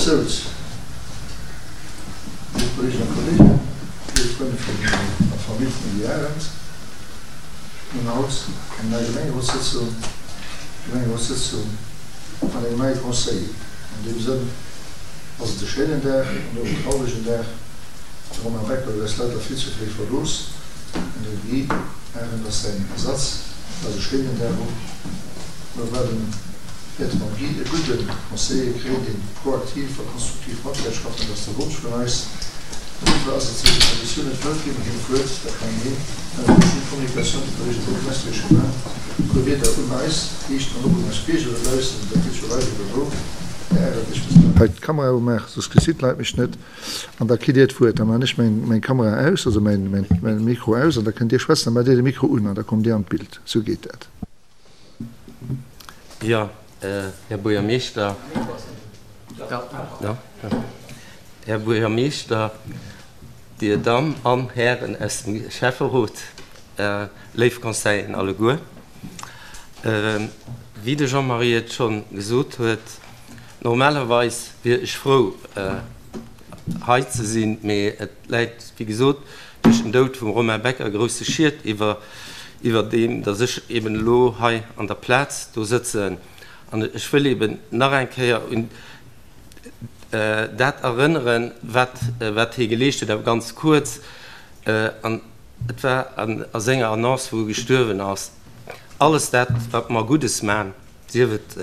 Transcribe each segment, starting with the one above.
souz, léif Kolleeginnen a Kolleegen, léif Frënn vun der Famill vum Guy Arendt, mir hunn haut eng nei Gemengerotssëtzung, Gemengerotssëtzung mat engem neie Conseiller. An deem Sënn ass et e schéinen Dag an och en trauregen Dag. De Romain Becker huet eis leider vill ze fréi verlooss an de Guy Arendt ass säin Ersatz. Et ass e schéinen Dag och. Mir waarden, wäerte mam Guy e gudde Conseiller kréien, dee proaktiv a konstruktiv mat wäert schaffen. Dat ass de Wonsch vun eis. Dofir ass et sou, déi Konditioun net wëllt ginn, him d'Wuert, da kann hien ënner der Communication de Kolleege Buergermeeschter Échevin e puer Wierder un eis riichten an och un eis Bierger da baussen. Dat geet scho live iwwer wou. Här Arendt, ech muss hei d'Kamera umaachen, soss gesitt d'Leit mech net. An da kritt Dir d'Wuert. Da maachen ech meng Kamera aus, also mäin Mikro aus, an da kënnt Dir schwätzen. Da maacht Dir de Mikro un an da kommt Dir an d'Bild. Esou geet dat. Jo, Här Buergermeeschter. Här Buergermeeschter, Dir Damm an Hären aus dem Schäfferot, léif Conseilleren alleguer. Wéi de Jean-Marie et scho gesot huet, Normalerweis wier ech frou hei ze sinn, mee et läit wéi gesot duerch den Doud vum Romain Becker e grousse Schiet iwwer iwwer deem, datt ech eben elo hei an der Plaz do sëtzen. An ech wëll eben nach eng Kéier un dat erënneren, wat wat hie geleescht huet, awer ganz kuerz. An et war a senger Annonce, wou e gestuerwen ass, Alles dat, wat mer Guddes man, sief et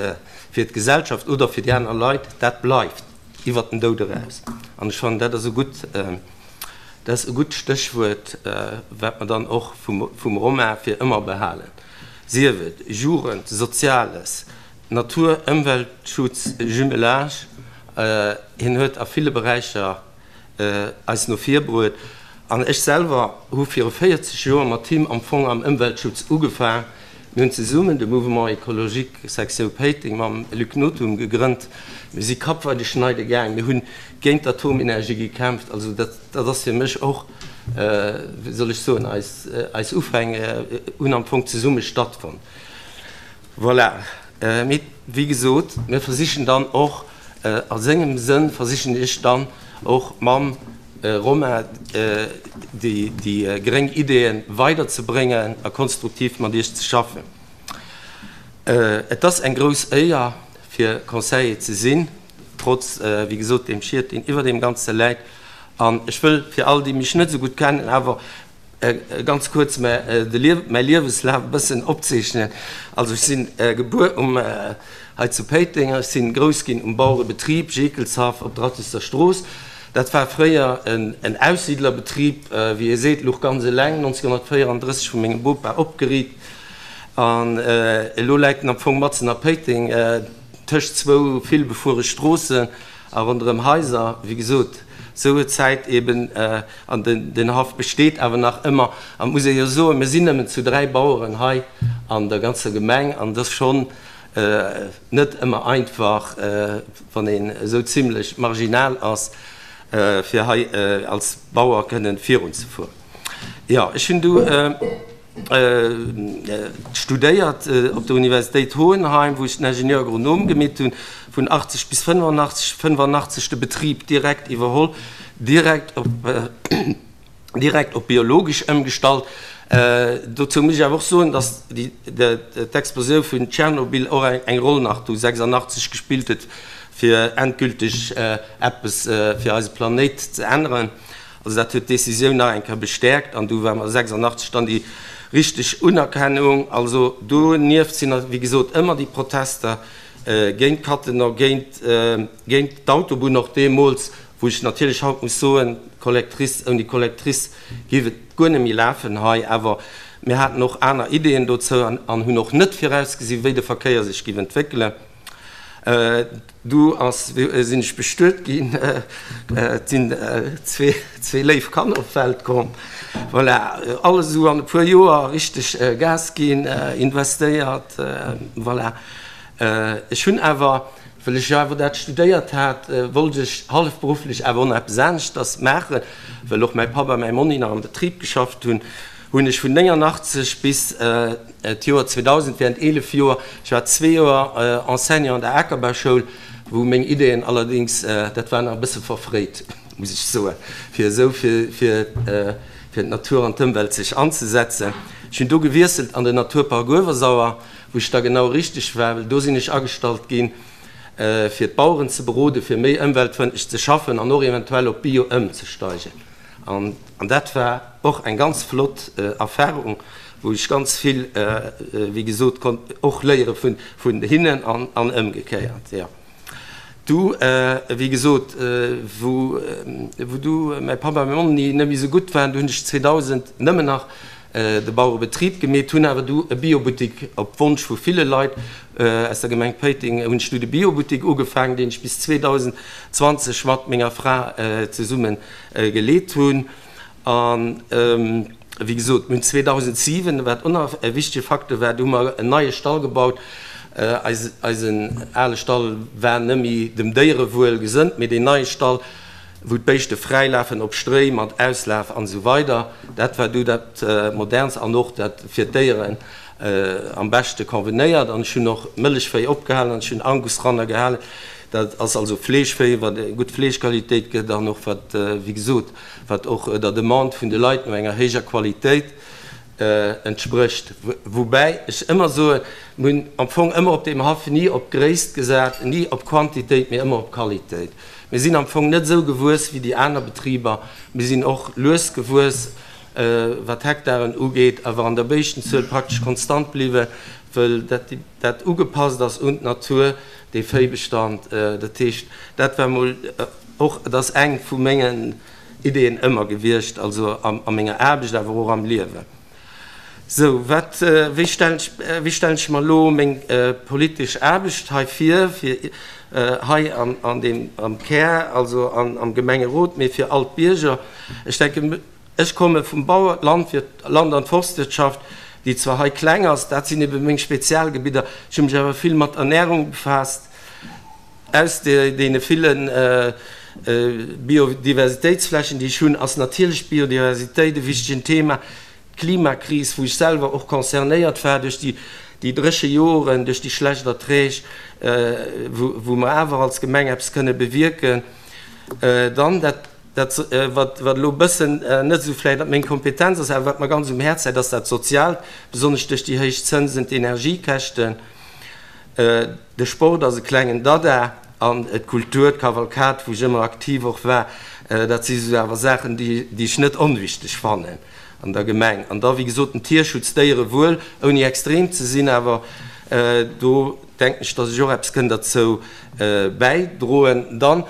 fir d'Gesellschaft oder fir déi aner Leit, dat bleift iwwert den Doud eraus. An ech fannen, dat ass e gutt, dat ass e gutt Stéchwuert, wat mer dann och vum Romain fir ëmmer behalen, sief et Jugend, Soziales, Natur, Ëmweltschutz, Jumelage, hien huet a ville Beräicher eis no vir bruet. An ech selwer hu viru 40 Joer mat him am Fong am Ëmweltschutz ugefaang. Mir hunn zesummen de Mouvement Écologique Sektioun Péiteng mam Luc Nothum gegrënnt. Mir si Kapp bei de Schneide gaang. Mir hunn géint d'Atomenergie gekämpft. Also dat, dat ass fir mech och, wéi soll ech soen, eis, eis Ufäng hunn am Fong zesumme stattfonnt. Voilà. Mee wéi gesot, mir versichen dann och, a sengem Sënn versichen ech dann och mam Romain déi gréng Ideeë weiderzebréngen a konstruktiv mat Iech ze schaffen. Et ass eng grouss Éier, fir Conseiller ze sinn, trotz, wéi gesot, deem Schiet, deen iwwer deem Ganze läit. An ech wëll fir all, déi mech net esou gutt kennen, awer Ganz kuerz mäi Liewenslaf e bëssen opzeechnen. Also ech sinn gebuer um hei zu Péiteng, ech sinn grouss ginn um Bauerebetrib Jekelshaff op der Rattister Strooss. Dat war fréier en Aussiedlerbetrib, wéi ee seet, luch ganz eleng, 1934 vu mengem Bopa opgeriit an elo läit en am Fong matzen a Péiteng tëscht zwou vill befuere Stroossen. A ronderëm Haiser, wéi gesot, sou huet d'Zäit eben, an den Haff besteet awer nach ëmmer. An et muss ee jo soen, mir sinn nëmmen zu 3 Baueren hei an der ganzer Gemeng an et ass schonn net ëmmer einfach, wann een esou zimlech marginal ass, fir hei als Bauer kënnen virunzefueren. Jo, ech hunn du. Studéiert op der Universitéit Hohenheim, wou ech den Ingenieur Agronome gemeet hunn, vun 80 bis 85, 85 de Betrib direkt iwwerholl, direkt op direkt op biologesch ëmgestallt. Dozou muss ech awer och soen, datt déi d'Explosioun vun Tschernobyl och eng Roll nach du 86 gespillt huet, fir endgülteg eppes fir eise Planéit ze änneren. Also dat huet d'Décisioun nach eng Kéier bestäerkt an du war mer 86 dann déi richteg Unerkennung. Also donieft sinn wéi gesot ëmmer déi Protester géint Cattenom, géint géint d'Autobunn och deemools, wou ech natierlech haut muss soen, d'Collectrice, ouni Collectrice géif et guer net méi lafen hei. Awer mir haten och aner Ideeën dozou an hunn och net virausgesi wéi de Verkéier sech géif entwéckelen. Du ass, sinn ech bestuet ginn, et sinn zwee léif Kanner op d'Welt komm. Voilà, alles esou an e puer Joer richteg Gas ginn, investéiert, voilà. Ech hunn awer, well ech jo awer dat studéiert hat, wollt ech hallefberufflech awer och nach eppes aneschters maachen, well och mäi Papp a mäi Monni nach am Betrib geschafft hunn. Hunn ech vun 89 bis d'Joer 2000, während 11 Joer, ech war zwee Joer Enseignant an der Akerbauschoul. wou meng Ideeën allerdings, dat war nach e bësse verfréit, muss ech soen, fir esou fir fir d'Natur an d'Ëmwelt sech anzesetzen. Ech hunn do gewiesselt an den Naturpark Uewersauer, wou ech da genau richteg war, well do sinn ech agestallt ginn, fir d'Baueren ze beroden, fir méi ëmweltfrëndlech ze schaffen an och eventuell op Bio ëmzesteigen. An dat war och eng ganz flott Erfahrung, wou ech ganz vill, wéi gesot, konnt och léiere vun hinnen an ëmgekéiert. Jo. Du, wéi gesot, wou du mäi Papp a meng Mamm net méi esou gutt waren, du hunn ech 2000 nëmmen nach de Bauerebetrib gemeet, hunn awer du e Biobuttik op Wonsch vu ville Leit aus der Gemeng Péiteng hunn ech du de Biobuttik ugefaangen, deen ech bis 2020 mat menger Fra zesumme geleet hunn. An wéi gesot, mir hunn 2007, wat och nach e wichtege Facteur war, do hu mer en neie Stall gebaut. Eisen ale Stall war net méi dem Déierewuel gesënnt, mee deen neie Stall, wou d'Béischte fräi lafen op Stréi mat Auslaf an esou weider, dat war du dat modernst an och dat fir d'Déieren am beschte convenéiert. An ech hunn och Mëllechvéi opgehalen an ech hunn Angusranner gehalen. Dat ass also Fleeschvéi, wat eng gutt Fleeschqualitéit gëtt an och wat, wéi gesot, wat och der Demande vun de Leit no enger héijer Qualitéit entsprécht. Woubäi ech ëmmer soen, mir hunn am Fong ëmmer op deem Haff ni op Gréisst gesat, ni op Quantitéit, mee ëmmer op Qualitéit. Mir sinn am Fong net esou gewuess wéi déi aner Betriber. Mir sinn och lues gewuess, wat d'Hektaren ugeet, awer an der Béischtenzuel praktesch konstant bliwwen, wëll dat dat ugepasst ass un d'Natur, dee Véibestand. Dat heescht, dat war mol och, et ass eng vu mengen Ideeën ëmmer gewiescht, also a menger Aarbecht, awer och am Liewen. Sou, wat, wéi stellen ech, wéi stellen ech mer elo meng politesch Aarbecht hei vir, fir hei an, an deem, am Kär, also an, am Gemengerot, mee fir all d'Bierger? Ech denken, ech komme vum Bauer, Landwirt, Land an Forstwirtschaft, déi zwar hei kleng ass, dat sinn ebe meng Spezialgebidder, ech hu mech awer vill mat Ernährung befaasst, Aus deene ville Biodiversitéitsflächen, déi ech hunn, ass natierlech d'Biodiversitéit e wichtegen Thema. D'Klimakris, wou ech selwer och concernéiert war duerch déi dréche Joren, duerch déi schlecht Erträg, wou mer awer als Gemeng eppes kënne bewierken. Dann dat, wat elo e bëssen net esou vläicht an meng Kompetenz ass, awer wat mer ganz um Häerz läit, ass dat Soziaalt, besonnesch duerch déi héich Zënsen, d'Energiekäschten. De Sport ass e klengen Dada an d'Kultur, d'Kavalkad, wou ech ëmmer aktiv och war, dat si sou awer Saachen, déi ech net onwichteg fannen an der Gemeng. An da wéi gesot den Tierschutz, Déierewuel, ouni extrem ze sinn, awer do denken ech, datt ech och eppes kënn derzou bäidroen. Dann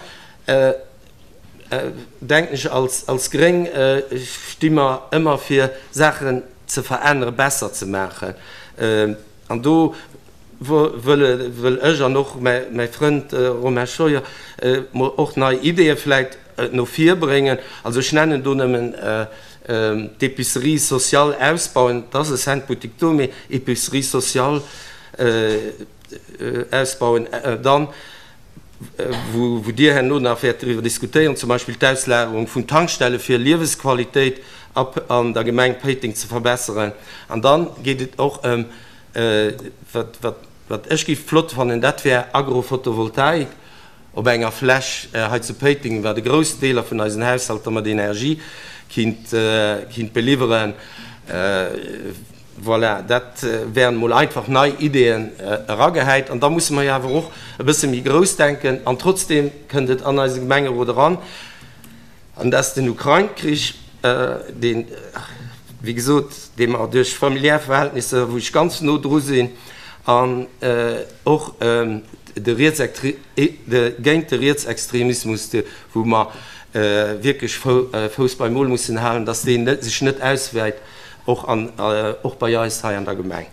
denken ech, als Gréng sti mer ëmmer fir Saachen ze veränneren, besser ze maachen. An do wëll ech an och mäi Frënd Romain Scheuer mol och nei Ideeë vläit no vir bréngen. Also ech nennen do nëmmen d'Épicerie sociale ausbauen, et ass e Cent-Boutique do, mee Épicerie sociale ausbauen. Dann, wou Dir herno nach wäert driwwer diskutéieren, zum Beispill d'Auslagerung vun Tankstelle fir Liewesqualitéit an der Gemeng Péiteng ze verbesseren. An da geet et och ëm, wat ech géif flott fannen, dat wär Agrophotovoltaik op enger Fläch hei zu Péiteng, wat e groussen Deeler vun eisen Haushalter mat Energie kinnt beliwweren. Voilà, dat wären emol einfach nei Ideeën eragehäit. An da musse mer jo awer och e bësse méi grouss denken. An trotzdeem kënnt et an eise Gemengerot eran, an dat ass den Ukrain-Krich, deen, wéi gesot, dee mer duerch familiär Verhältnisser, wou ech ganz no dru sinn, an och de géint de Rietsextremismus, wou mer wierklech Fouss beim Mol mussen halen, dass deen sech net auswäit. Och an och bei eis hei an der Gemeng.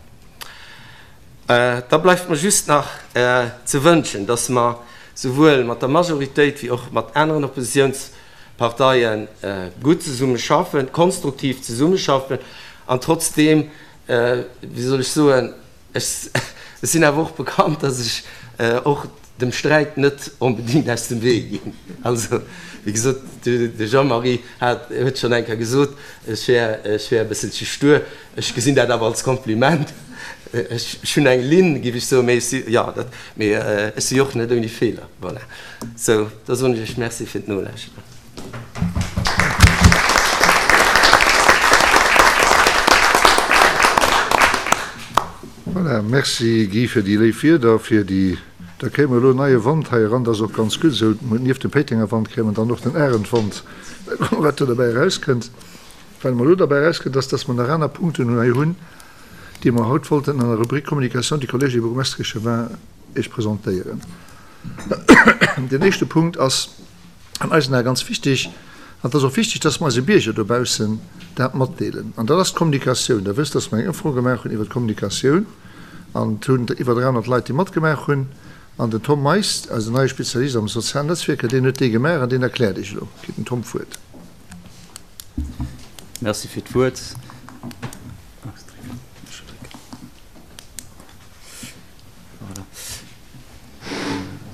Da bleift mer just nach ze wënschen, dass mer souwuel mat der Majoritéit wéi och mat aneren Oppositionsparteie gutt zesumme schaffen, konstruktiv zesumme schaffen an trotzdeem, wéi soll ech soen, Ech sinn awer och bekannt, dass ech och dem Sträit net onbedéngt aus dem Wee ginn. Also, wéi gesot, de Jean-Marie hat, huet schonn eng Kéier gesot, ech wär, ech wär e bësselche stur. Ech gesinn dat awer als Kompliment. Ech hunn eng Linn, géif ech soen, mee ech si, jo, dat, mee ech si jo och net ouni Feeler. Voilà. Sou, da soen ech Iech Merci fir d'Nolauschteren. Voilà, merci Guy fir déi léif Wierder, fir déi, da kréie mer elo neie Wand hei eran, dat ass och ganz gutt esou. Nieft dem Péitenger Wand kréie mer dann och den Arendwand, wat do derbäi erauskënnt. Wat mer elo derbäi erauskënnt, ass, dass mer nach aner Punkten hei hunn, déi mer haut wollten an der Rubrik Communication du Collège des bourgmestres et échevins Iech presentéieren. Deen éischte Punkt ass an eisen Ae ganz wichtig, an et ass och wichtig, dass mer eise Bierger dobaussen dat matdeelen, an dat ass d'Kommunikatioun. Der wësst, dass mer eng Ëmfro gemaach hunn iwwert d'Kommunikatioun, an et hunn iwwer 300 Leit déi matgemaach hunn. An den Tom Meist, eisen neie Spezialist am sozialen Netzwierker, deen huet déi gemaach an deen erkläert Iech elo. Kritt den Tom d'Wuert. Merci fir d'Wuert.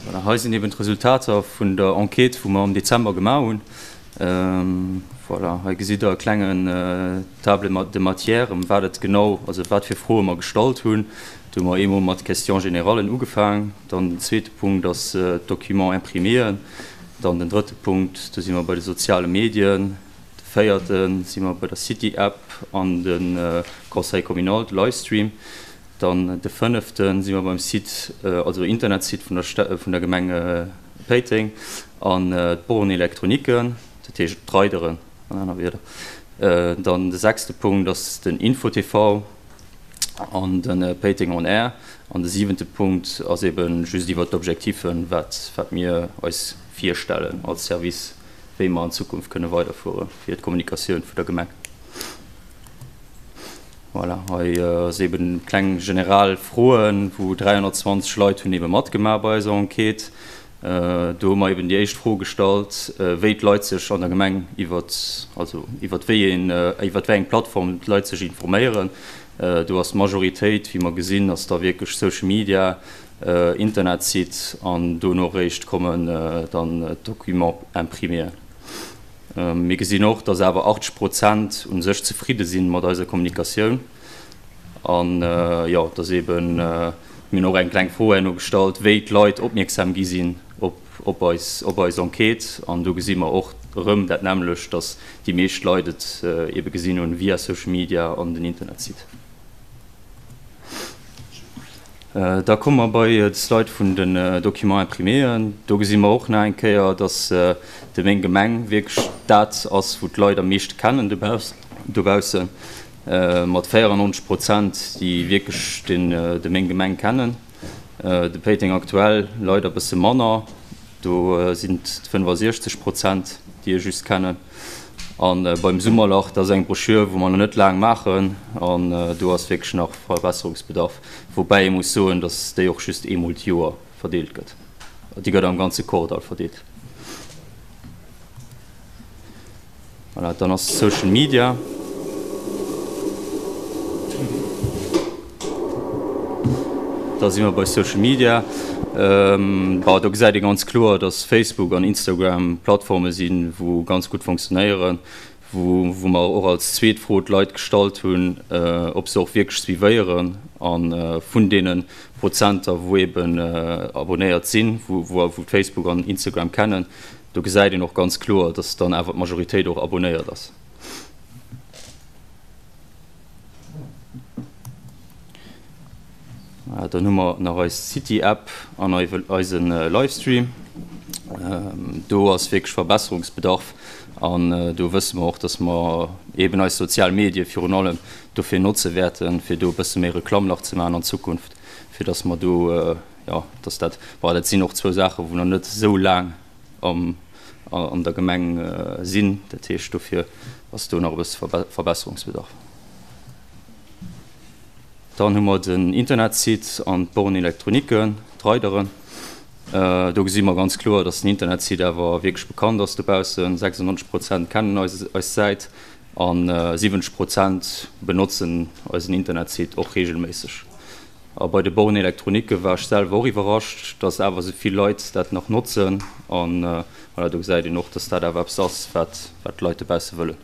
Voilà, hei sinn eben d'Resultater vun der Enquête, wou mer am Dezember gemaach hunn. Voilà, hei gesitt Der e klengen Table de matières, ëm wat et genau, also wat fir Froe mer gestallt hunn. Do hu mer eemol mat Questions générallen ugefaang. Dann den zweete Punkt ass d'Documents impriméen. Dann den drëtte Punkt, do si mer bei de soziale Medien. De véierte si mer bei der City App an de Conseil communal, de Livestream. Dann de fënnefte si mer beim Site, also Internetsite vun der vun der Gemeng Péiteng an d'Borne électroniquen, dat heescht d'Rideren an aner Wierder. Dann de sechste Punkt ass den Info-TV an de Péiteng on Air. An de siwente Punkt ass ebe just iwwert d'Objectifen, wat wat mir eis virstellen als Service, wéi mer an Zukunft kënne weiderfuere fir d'Kommunikatioun vun der Gemeng. Voilà, hei ass eben kleng general Froen, wou 320 Leit hunn ebe matgemaach bei eiser Enquête. Do hu mer eben déi éischt Fro gestallt, wéi d'Leit sech an der Gemeng iwwert, also iwwert wéi een, iwwert wéi eng Plattform d'Leit sech informéieren. Do ass d'Majoritéit, wéi mer gesinn, ass da wierklech Social Media, Internetsite an dono eréischt kommen dann d'Documents impriméen. Mir gesinn och, dass awer 80 Prozent u sech zefridde si mat eiser Kommunikatioun. An jo, dass eeben, mir hunn och eng kleng Fro herno gestallt, wéi d'Leit opmierksam gi sinn op eis, op eis Enquête. An do gesi mer och erëm dat nämmlecht, dass déi meescht Leit et eebe gesinn hunn via Social Media an den Internetsite. Da komme mer bei de Slide vun den Documents impriméen. Do gesi mer och nach eng Kéier, dass de Meng Gemeng wierklech dat ass, wou d'Leit am meeschte kennen dobaussen, mat 94 Prozent, déi wierklech de Meng Gemeng kennen. De Péiteng Aktuell leider e bësse manner. Do sinn et 65 Prozent, déi e just kennen. A beim Summerlach, dat ass eng Broschür, wou mer nach net laang maachen, an do ass wierklech nach Verbesserungsbedarf. Woubäi ee muss soen, datt déi och just eemol d'Joer verdeelt gëtt. Déi gëtt am ganze Kordall verdeelt. Voilà, dann ass Social Media. Da si mer bei Social Media. Bon, do gesäit ee ganz kloer, dass Facebook an Instagram Plattforme sinn, wou ganz gutt fonctionnéieren, wou wou mer och als zweet Fro d'Leit gestallt hunn, ob se och wierklech suivéieren. A vun deene Prozenter, wou eeben abonnéiert sinn, wou wou Facebook an Instagram kennen, Do gesäit een och ganz kloer, dass dann awer d'Majoritéit och abonnéiert ass. Dann hu mer nach eis City-App an eise Livestream. Do ass wierklech Verbesserungsbedarf an do wësse mer och, dass mer eeben eis sozial Medie virun allem dofir notze wäerten, fir do e bësse méi Reklamm nach ze maachen an Zukunft, fir dass mer do, Jo, dass dat, bon, dat sinn och zwou Saachen, wou nach net esou laang am, an der Gemeng sinn. Dat heescht, dofir ass do nach e bësse Verbesserungsbedarf. Dann hu mer den Internetsite an d'Borne électronique, d'Rideren. Do gesi mer ganz kloer, dass den Internetsite awer wierklech bekannt ass dobaussen. 96 Prozent kennen eis, eis Säit a 70 Prozent benotzen eisen Internetsite och reegelméisseg. A bei de Bornes électroniques war ech selwer och iwwerrascht, dass awer esou vill Leit dat nach notzen. An voilà, do gesäit een och, dass dat awer eppes ass, wat wat d'Leit dobausse wëllen.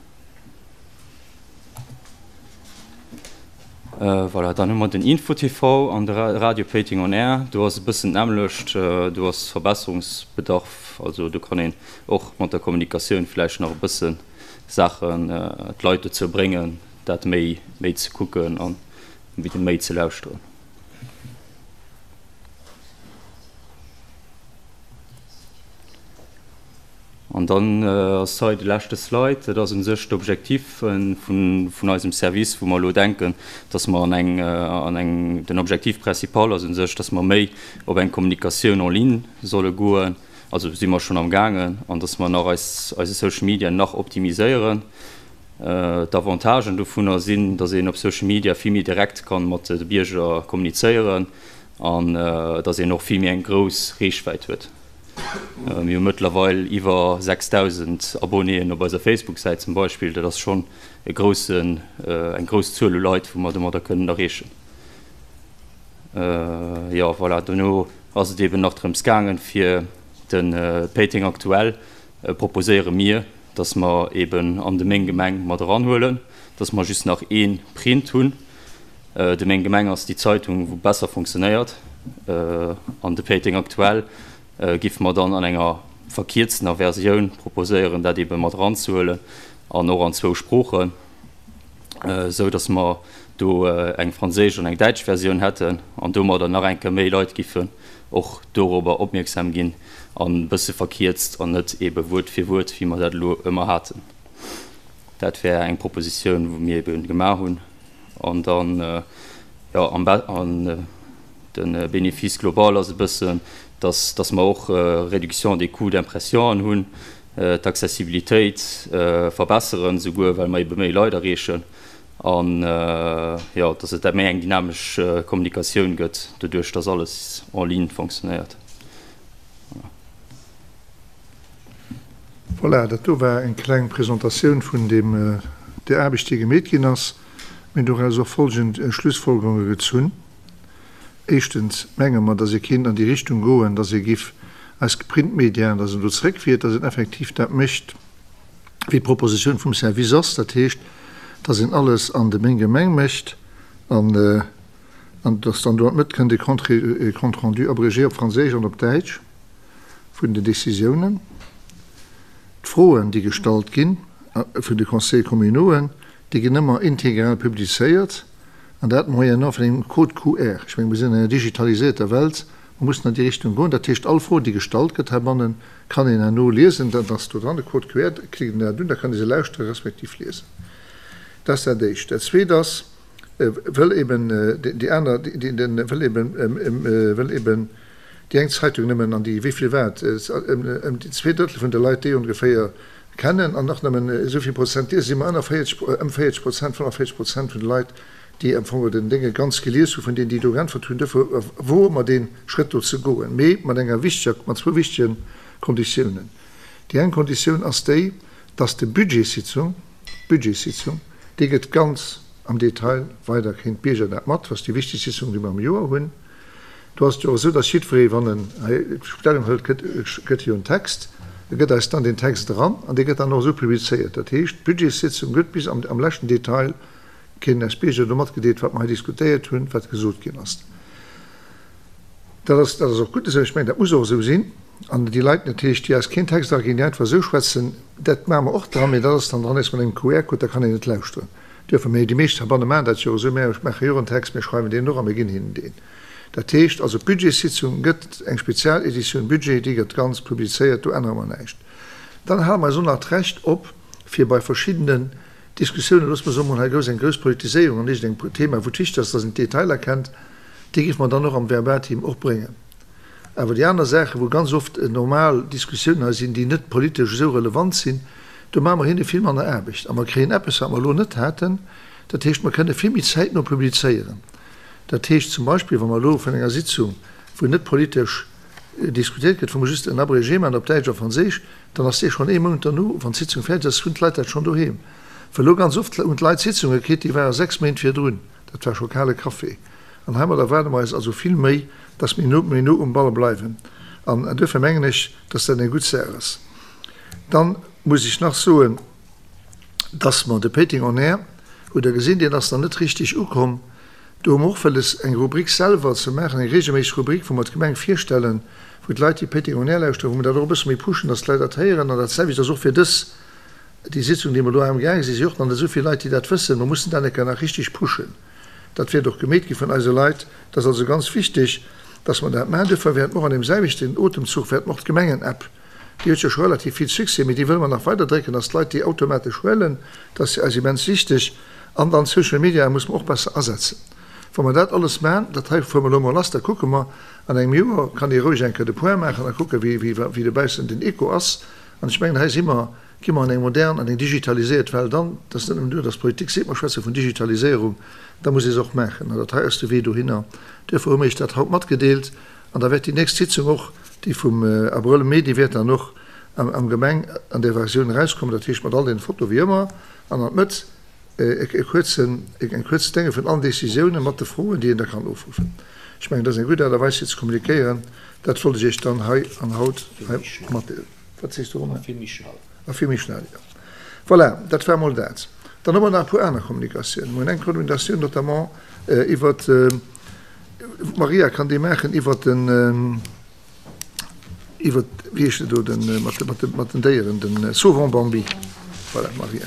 Voilà, dann hu mer den Info TV an de Radio Péiteng on Air. Do ass e bëssen d'nämmlecht, do ass Verbesserungsbedarf. Also do kann een och mat der Kommunikatioun vläicht nach e bësse Saachen, d'Leit dozou bréngen, dat méi méi ze kucken an méi ze lauschteren. An dann ass hei de leschte Slide, dat ass u sech d'Objectif vun eisem Service, wou mer elo denken, dass mer an eng, an eng, den Objectif principal ass u sech, dass mer méi op eng Kommunikatioun en ligne solle goen, also si mer schonn amgaangen, an dass mer nach eis, eise Social Media nach optimiséieren. D'Avantagen dovunner sinn, dass een op Social Media vill méi direkt ka mat de Bierger kommunizéieren an dass een och vill méi eng grouss Reechwäit huet. Mir hu mëttlerweil iwwer 6.000 Abonnéen op eiser Facebook-Säit zum Beispill. Dat ass schonn e groussen, eng grouss Zuel u Leit, wou mer domadder kënnen erreechen. Jo, voilà, dono ass et eeben nach drëms gaangen, fir de Péiteng Aktuell proposéiere mir, dass mer eeben an de Meng Gemeng mat eranhuelen, dass mer just nach ee Print hunn. De Meng Gemeng ass déi Zeitung, wou besser funktionéiert. An de Péiteng Aktuell giffe mer dann an enger verkierztener Versioun proposéieren, dat eebe mat eranzehuelen an och an zwou Sproochen, esou dass mer do eng franséisch an eng däitsch Versioun hätten an domadder nach eng Kéier méi Leit giffen och dorobber opmierksam ginn an e bësse verkierzt an net eebe Wuert fir Wuert, wéi mer dat elo ëmmer haten. Dat wär eng Propositioun, wou mir eebe gemaach hunn. An dann, jo, am Be-, an de Bénéfice global ass e bëssen, dass, dass mer och Réduction des coûts d'impression hunn, d'Accessibilitéit verbesseren, souguer well mer ebe méi Leit erreechen an, jo, dass et méi eng dynamesch Kommunikatioun gëtt, doduerch dass alles en ligne fonctionnéiert. Voilà. Voilà, dat do war eng kleng Presentatioun vun deem, där Aarbecht, déi gemeet ginn ass. Mir hunn doraus och folgend Schlussfolgerunge gezunn. Éischtens menge mer, dass ee kéint an déi Richtung goen, dass ee giff eis Printmediaen, dass een do zréckfiert, dass een effektiv dat mécht, wéi d'Propositioun vum Service ass, dat heescht, dass een alles an de Meng Gemeng mécht an dass dann do an d'Mëtt kënnt e Compte rendu abrégé op Franséisch an op Däitsch vun den Décisiounen. D'Froen, déi gestallt gi vun de Conseillers communauxen, déi ginn ëmmer integral publizéiert, an dat moyennant vun engem Code QR. Ech mengen, mir sinn an enger digitalisierter Welt, mer mussen an déi Richtung goen. Dat heescht, all Fro, déi gestallt gëtt heibannen, kann een herno liesen. Dat ass do dran, de Code QR, da klickt een dat un, da kann ee se lauschtere respektiv liesen. Dat ass dat Éischt. Dat Zweet ass, wëll eben déi aner, wëll eben, wëll eben déi eng Zeitung nëmmen an déi, wéi vill war et, ëm déi zweedrëttel vun de Leit déi ongeféier kennen an och nëmmen esou vill Prozent liesen, si mer ënner 40, ëm 40 Prozent, 45 Prozent vun de Leit, déi am Fong den Dénge ganz gelies hu vun deenen, déi do geäntwert hunn. Duerfir woe mer dee Schrëtt do ze goen, mee mat enger wichteger, mat zwou wichtege Konditiounen. Déi eng Konditioun ass déi, dass de Budgetssitzung, d'Budgetssitzung, déi gëtt ganz am Detail weider, kréien d'Bierger dat mat, dat ass déi wichtegst Sitzung, déi mer am Joer hunn. Do ass et jo och esou, dass jiddweree, wann en hei Stellung hëlt, gëtt, gëtt jo en Text, e gëtt eis dann deen Text eran an dee gëtt dann och esou publizéiert. Dat heescht, d'Budgetssitzung gëtt bis am, am leschten Detail kréien eis Bierger do matgedeelt, wat mer hei diskutéiert hunn, wat gesot ginn ass. Dat ass, dat ass och gutt esou. Ech mengen, dat muss och esou sinn. An déi Leit natierlech, déi eis keen Text eraginn, déi einfach esou schwätzen, dat maache mer och dran, mee dat ass dann dran eréischt mat engem QR-Code, da kann een et lauschteren. Duerfe mir, déi meescht heibanne maachen dat jo esou, mir maache jo och en Text, mir schreiwen deen och a mir ginn hinnen deen. Dat heescht also, d'Budgetssitzung gëtt eng Spezialeditioun Budget, déi gëtt ganz publizéiert, do ännere mer näischt. Dann hale mer eis och nach d'Recht op, fir bei verschiddenen Diskussiounen, loosse mer soen, mol hei grouss eng grouss Politiséierung an iergendengem Thema, wou et wichteg ass, dass een d'Detailer kennt, déi géife mer dann och am Verbatim och bréngen. Awer déi aner Saachen, wou ganz oft normal Diskussiounen hei sinn, déi net politesch esou relevant sinn, do maache mer hinne vill manner Aarbecht. A mer kréien eppes, wat mer elo net haten, dat heescht, mer kënne vill méi zäitno publizéieren. Dat heescht zum Beispill, wa mer elo vun enger Sitzung, wou net politesch diskutéiert gëtt, wou mer just en Abrégé maachen op Däitsch a Franséisch, dann ass dee schonn ee Mount derno, wann d'Sitzung fäerdeg ass, hunn d'Leit dat schonn doheem. Well elo ganz oft hunn d'Leit Sitzunge kritt, déi ware 6 Méint virdrun. Dat war scho kale Café. An heimat erwaarde mer eis also vill méi, dass mir méi no um Ball bleiwen. An duerfir mengen ech, dass dat eng gutt Saach ass. Dann muss ech nach soen, dass mer de Péiteng on Air, hutt Der gesinn, deen ass nach net richtig ukomm. Do hu mer och wëlles, eng Rubrik selwer ze maachen, eng regelméisseg Rubrik, wou mer d'Gemeng virstellen, wou d'Leit, déi Péiteng On Air lauschteren, wou mer dat och e bësse méi pushen, dass d'Leit dat héieren. An dat selwecht ass och fir dës, déi Sitzung, déi mer elo amgaang sinn, si och nach net esou vill Leit, déi dat wëssen. Mer mussen dat eng Kéier nach richtig pushen. Dat wäert och gemeet gi vun eise Leit. Dat ass also ganz wichteg, dass mer dat maachen. Duerfir wäerte mer och an deem selwechten Otemzuch wäerte mer och d'Gemengen-App, déi huet jo scho relativ vill Succès, mee déi wëlle mer nach weider drécken, dass d'Leit déi automatesch huelen. Dat ass fir eis immens wichteg. An dann d'Social Media musse mer och besser asetzen. Wa mer dat alles maachen, dat hei fuere mer elo emol lass, da kucke mer, an engem Joer kann ee roueg eng Kéier de Point maachen a kucken, wéi, wéi dobaussen den Echo ass. An ech mengen, hei si mer, gi mer an eng modern, an eng digitaliséiert Welt an. Et ass net nëmmen duer, dass d'Politik seet, mer schwätze vun Digitaliséierung, da muss ee se och maachen. An dat hei ass de Wee dohinner. Duerfir hu mir Iech dat haut matgedeelt. An da wäert déi nächst Sitzung och, déi vum Abrëll, Mee, déi wäert dann och am Gemeng an där Versioun erauskommen, dat heescht mat all deene Fotoe wéi ëmmer. An an d'Mëtt e kuerzen, eng kuerz Dénge vun allen Décisiounen mat de Froen, déi een da kann ofruffen. Ech mengen, dat ass eng gutt Aart a Weis fir ze kommunikéieren. Dat wollt ech Iech dann hei an haut hei matdeelen. Wat sees du, Romain? A vill méi schnell. A vill méi schnell, jo. Voilà, dat war emol dat. Dann hu mer nach e puer aner Kommunikatiounen. Mer hunn eng Kommunikatioun notamment iwwert, d'Maria kann déi maachen, iwwert den, Iwwer, wéi heescht et do, den, mat de, mat de, mat den Déieren, den Sauvons Bambi. Voilà, Maria.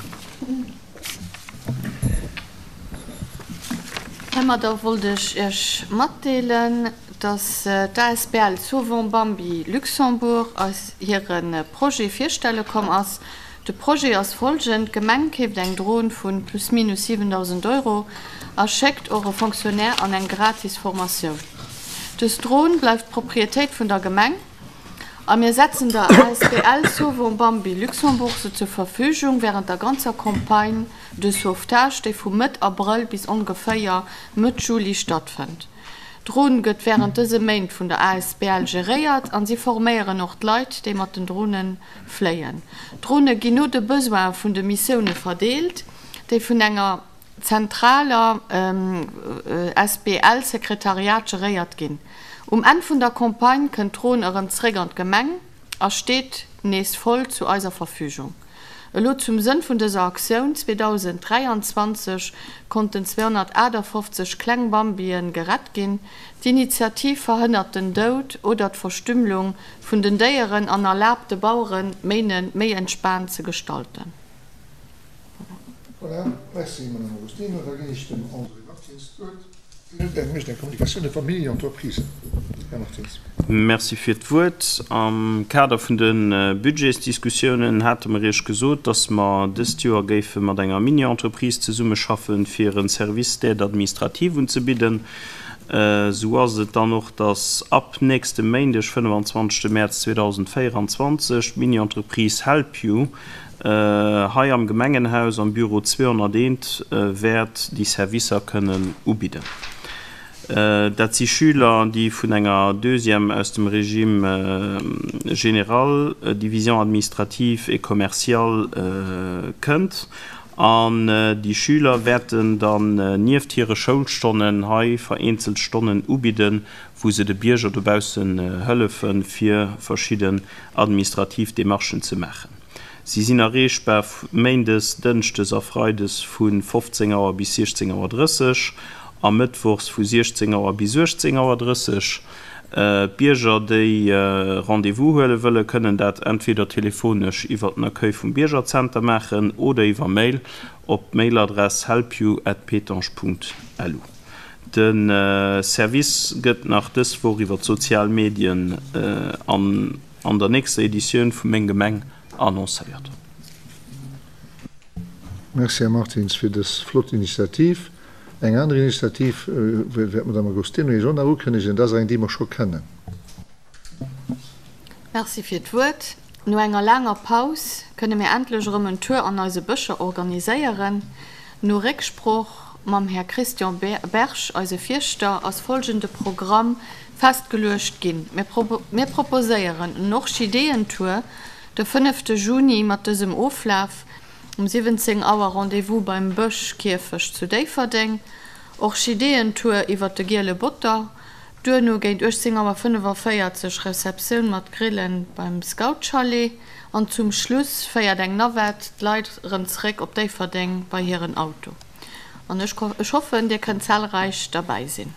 Heimadder wollt ech Iech matdeelen, dass d'ASBL Sauvons Bambi Luxembourg eis hire Projet virstelle komm ass. De Projet ass folgend, D'Gemeng keeft eng Dron vu plus minus 7.000 Euro a schéckt och e Fonctionnaire an eng gratis Formatioun. Dës Dron bleift Proprietéit vun der Gemeng a mir setzen der asbl Sauvons Bambi Luxembourg se zur Verfügung während der ganzer Campagne de sauvetage, déi vu Mëtt Abrëll bis ongeféier Mëtt Juli stattfënnt. D'Dron gëtt während dëse Méint vun der asbl geréiert an si forméieren och d'Leit, déi mat den Dronen fléien. D'Drone ginn no de Besoine vun de Missioune verdeelt, déi vun enger zentraler SBL-Sekretariat geréiert ginn. Um Enn vun der Campagne kënnt d'Dron erëm zréck an d'Gemeng a steet nees voll zu eiser Verfügung. Elo zum Sënn vun dëser Aktioun, 2023 konnten 258 kleng Bambien gerett ginn. D'Initiativ verhënnert den Doud oder d'Verstümmlung vun den Déieren an erlaabt de Baueren d'Méine méi entspaant ze gestalten. Voilà, merci Madame Agostino. Da ginn ech dem André Martins d'Wuert. Hien mécht eng Kommunikatioun iwwer Mini-Entreprisen. Här Martins. Merci fir d'Wuert. Am Kader vun de Budgetsdiskussiounen hate mer Iech gesot, dass mer dëst Joer géife mat enger Mini-Entreprise zesummeschaffen, fir e Service d'aide administrative unzebidden. Esou ass et dann och, dass ab nächstem Méindeg, 25 Mäerz 2024, d'Mini-Entreprise Help You hei am Gemengenhaus am Büro 201 wäert déi Servicer kënnen ubidden. Dat si Schüler, déi vun enger Deuxième aus dem Régime général, Division administrative et commerciale, kënnt. An déi Schüler wäerten dann nieft hire Schoulstonnen hei vereenzelt Stonnen ubidden, wou se de Bierger dobaussen hëllefen, fir verschidden administrativ Demarchen ze maachen. Si sinn erreechbar méindes, dënschdes a freides vu 15 Auer bis 16 Auer 30 a mëttwochs vu 16 Auer bis 18 Auer 30. D'Bierger, déi Rendez-vous huele wëllen, kënnen dat entweder telefonesch iwwer den Accueil vum Biergerzenter maachen oder iwwer Mail op d'Mailadress helpyou@petange.lu. De Service gëtt nach dës Woch iwwer d'sozial Medien an an der nächster Editioun vu Meng Gemeng annoncéiert. Merci Här Martins fir dës flott Initiativ. Eng aner Initiativ wäert d'Madame Agostino Iech och nach ukënnegen. Dat ass eng, déi mer scho kennen. Merci fir d'Wuert. No enger laanger Paus kënne mir endlech erëm en Tour an eise Bëscher organiséieren. No Récksproch mam Här Christian Berg, eise Fierschter, ass folgende Programm festgeluecht ginn, Mir proposéieren en Orchideeëntour de fënnefte Juni mat dësem Oflaf, Um 17 Auer Rendez-vous beim Bëschkierfecht zu Déifferdeng, Orchideeëntour iwwer de Giele Botter, duerno géint 18 Auer 45 Receptioun mat Grillen beim Scoutchalet an zum Schluss féiert eng Navette d'Leit erëm zeréck op Déifferdeng bei hiren Auto. An ech hoffen, Dir kënnt zahlreich derbäi sinn.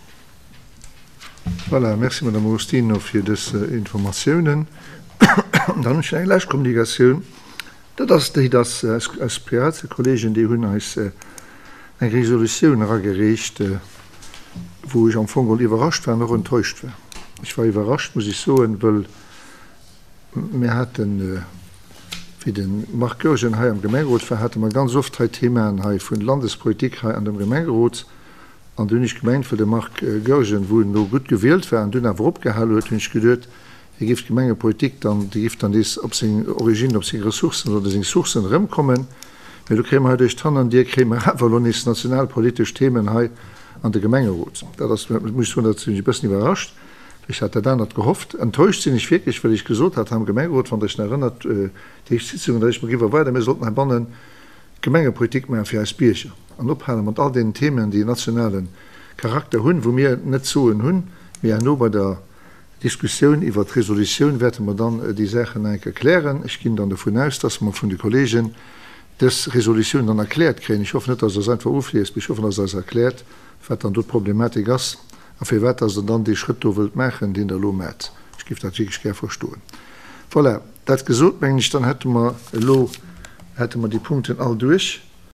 Voilà, merci Madame Agostino fir dës Informatiounen. Dann hunn ech nach eng lescht Kommunikatioun, dat ass déi, dass eis Piratekollegen, déi hunn eis eng Resolutioun eragereecht, wou ech am Fong geholl iwwerrascht war an och enttäuscht war. Ech war iwwerrascht, muss ech soen, wëll mir haten, wéi de Marc Goergen hei am Gemengerot war, hate mer ganz oft hei Themaen hei vun Landespolitik hei an dem Gemengerot. An du hunn ech gemengt, well de Marc Goergen, wou en elo gutt gewielt war an dunn awer opgehal huet, hunn ech geduet, hie géif d'Gemengepolitik dann, déi géif dann nees op seng Origine, op seng Ressourcen oder seng Sourcen erëmkommen. Mee elo kréie mer hei duerch d'Hannerdier kréie mer awer elo nees nationalpolitesch Themen hei an de Gemengerot. Dat ass, muss ech soen, dat sinn ech e bëssen iwwerrascht, well ech hat dat anert gehofft. Enttäuscht sinn ech wierklech, well ech gesot hat hei am Gemengerot, wann Der Iech nach erënnert, déi éischt Sitzung, datt ech mer géif erwaarden, mir sollten heibannen Gemengepolitik maache fir eis Bierger an ophale mat all deenen Themen, déi en nationale Charakter hunn, wou mir net d'Soen hunn. Mee herno bei der Diskussioun iwwert d'Resolutioun wäerte mer dann déi Saachen nach eng Kéier klären. Ech ginn dann dovun aus, dass mer vun de Kollegen dës Resolutioun dann erkläert kréien. Ech hoffen net, dass Der se einfach ofliest, mee ech hoffen, dass Der eis erkläert, wat dann do d'Problematik ass a firwat dass Der dann dee Schrëtt do wëllt maachen, deen Der elo maacht. Ech géif dat wierklech gär verstoen. Voilà, dat gesot, mengen ech, dann hätte mer elo hätte mer déi Punkten all duerch.